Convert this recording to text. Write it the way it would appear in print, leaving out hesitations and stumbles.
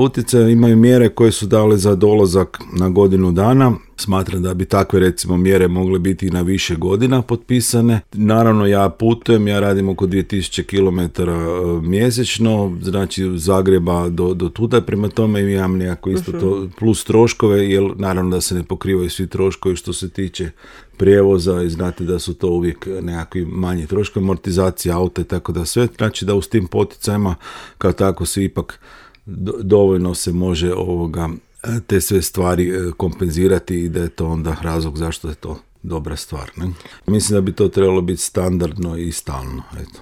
utjecaja imaju mjere koje su dale za dolazak na godinu dana. Smatram da bi takve recimo mjere mogle biti i na više godina potpisane. Naravno ja putujem, ja radim oko 2000 km mjesečno, znači od Zagreba do tuda, prema tome imam nekako isto to plus troškove, jer naravno da se ne pokrivaju svi troškovi što se tiče prijevoza i znate da su to uvijek nekakvi manji troškovi, amortizacija auta i tako da sve, znači da uz tim poticajima kao tako se ipak dovoljno se može te sve stvari kompenzirati i da je to onda razlog zašto je to dobra stvar. Ne? Mislim da bi to trebalo biti standardno i stalno. Eto.